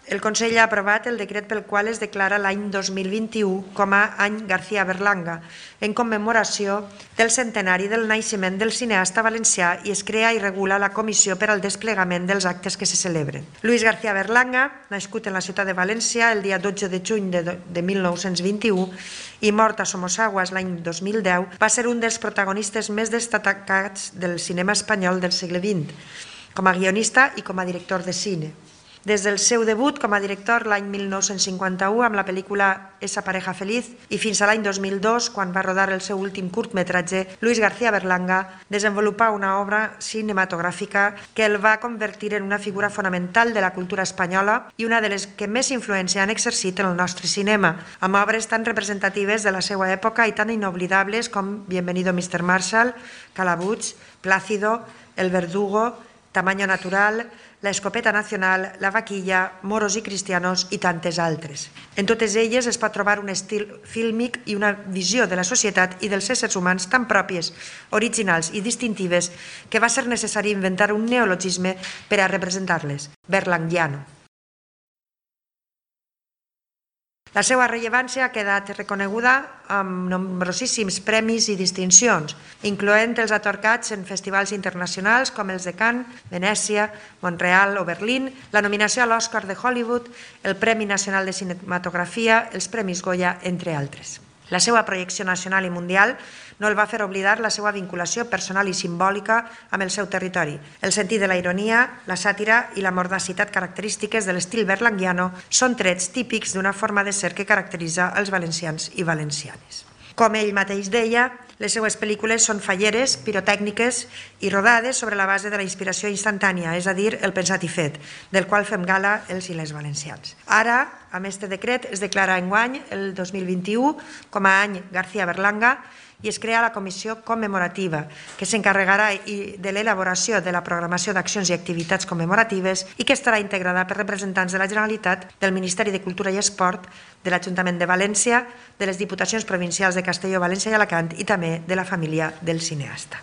El Consell ha aprovat el decret pel qual es declara l'any 2021 com a any García Berlanga, en commemoració del centenari del naixement del cineasta valencià, i es crea i regula la comissió per al desplegament dels actes que se celebren. Luis García Berlanga, nascut en la ciutat de València el dia 12 de juny de 1921 i mort a Somosaguas l'any 2010, va ser un dels protagonistes més destacats del cinema espanyol del segle XX, com a guionista i com a director de cine. Des del seu debut com a director l'any 1951 amb la pel·lícula Esa pareja feliz i fins a l'any 2002, quan va rodar el seu últim curtmetratge, Luis García Berlanga desenvolupà una obra cinematogràfica que el va convertir en una figura fonamental de la cultura espanyola i una de les que més influència han exercit en el nostre cinema, amb obres tan representatives de la seva època i tan inoblidables com Bienvenido Mr. Marshall, Calabuig, Plácido, El Verdugo, Tamaño Natural, La Escopeta Nacional, La Vaquilla, Moros i Cristianos i tantes altres. En totes elles es pot trobar un estil fílmic i una visió de la societat i dels éssers humans tan pròpies, originals i distintives que va ser necessari inventar un neologisme per a representar-les, berlanguiano. La seva rellevància ha quedat reconeguda amb nombrosíssims premis i distincions, incloent els atorgats en festivals internacionals com els de Cannes, Venècia, Montreal o Berlín, la nominació a l'Oscar de Hollywood, el Premi Nacional de Cinematografia, els Premis Goya, entre altres. La seva projecció nacional i mundial no el va fer oblidar la seva vinculació personal i simbòlica amb el seu territori. El sentit de la ironia, la sàtira i la mordacitat característiques de l'estil berlanguiano són trets típics d'una forma de ser que caracteritza els valencians i valencianes. Com ell mateix deia, les seues pel·lícules són falleres, pirotècniques i rodades sobre la base de la inspiració instantània, és a dir, el pensat i fet, del qual fem gala els i les valencians. Ara, amb aquest decret, es declara enguany, el 2021, com a any García Berlanga, i es crea la comissió commemorativa, que s'encarregarà de l'elaboració de la programació d'accions i activitats commemoratives i que estarà integrada per representants de la Generalitat, del Ministeri de Cultura i Esport, de l'Ajuntament de València, de les Diputacions Provincials de Castelló, València i Alacant i també de la família del cineasta.